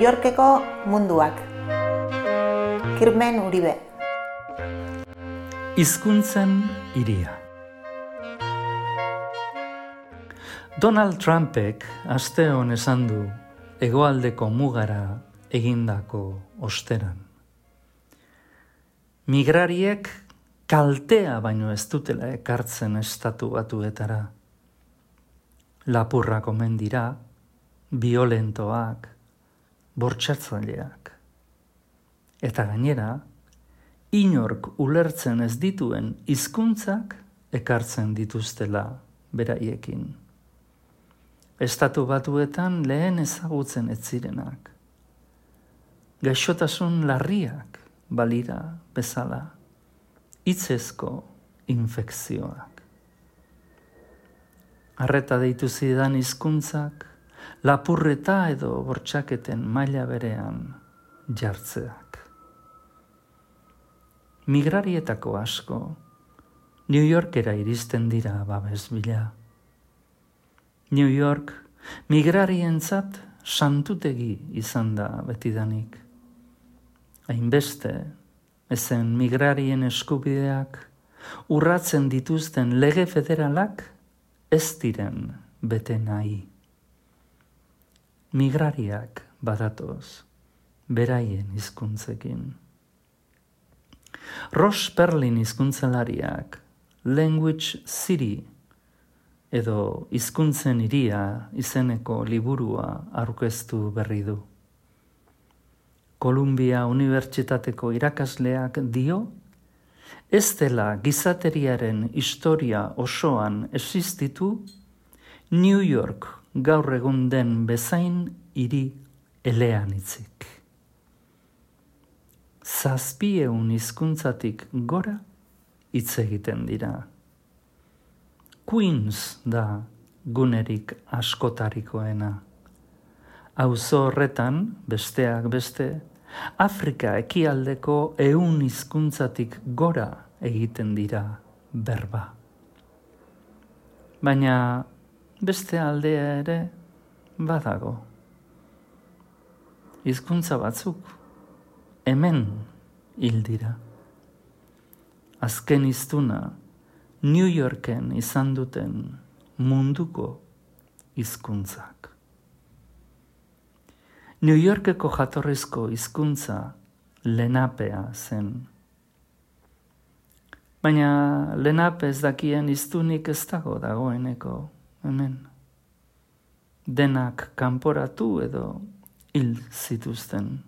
Yorkeko munduak. Kirmen Uribe. Hizkuntzen hiria. Donald Trumpek asteon esan du hegoaldeko mugara egindako osteran. Migrariek kaltea baino ez dutela ekartzen estatu batuetara. Lapurrak omen dira, violentoak, bortxatzaileak. Eta gainera, inork ulertzen ez dituen hizkuntzak ekartzen dituztela beraiekin. Estatu batuetan lehen ezagutzen ez zirenak. Gaixotasun larriak balira bezala, hitzezko infekzioak. Arreta deitu zidan hizkuntzak, lapurreta edo bortxaketen maila berean jartzeak. Migrarietako asko, New Yorkera iristen dira babes bila. New York migrarientzat santutegi izan da betidanik. Hainbeste, ezen migrarien eskubideak urratzen dituzten lege federalak ez diren bete nahi. Migrariak badatoz, beraien hizkuntzekin. Ross Perlin hizkuntzelariak Language City edo hizkuntzen hiria izeneko liburua aurkeztu berri du. Columbia Unibertsitateko irakasleak dio, ez dela gizateriaren historia osoan existitu New York gaur egun den bezain hiri eleanitzik. 700 hizkuntzatik gora hitz egiten dira. Queens da gunerik askotarikoena. Auzo horretan, besteak beste, Afrika ekialdeko 100 hizkuntzatik gora egiten dira berba. Baina beste aldea ere badago. Hizkuntza batzuk hemen hil dira. Azken hiztuna New Yorken izan duten munduko hizkuntzak. New Yorkeko jatorrizko hizkuntza lenapea zen. Baina lenape ez dakien hiztunik ez dagoeneko hemen. Denak kanporatu edo hil zituzten.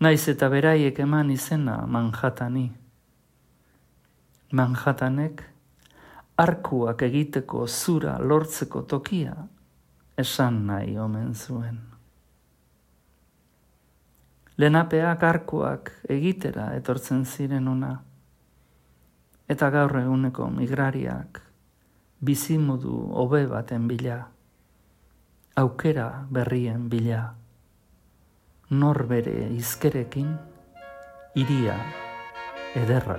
Naiz eta beraiek eman izena Manhattani. Manhattanek arkuak egiteko zura lortzeko tokia esan nahi omen zuen. Lenapeak arkuak egitera etortzen ziren ona, eta gaur eguneko migrariak bizimodu hobe baten bila, aukera berrien bila, nor bere hizkerekin hiria ederra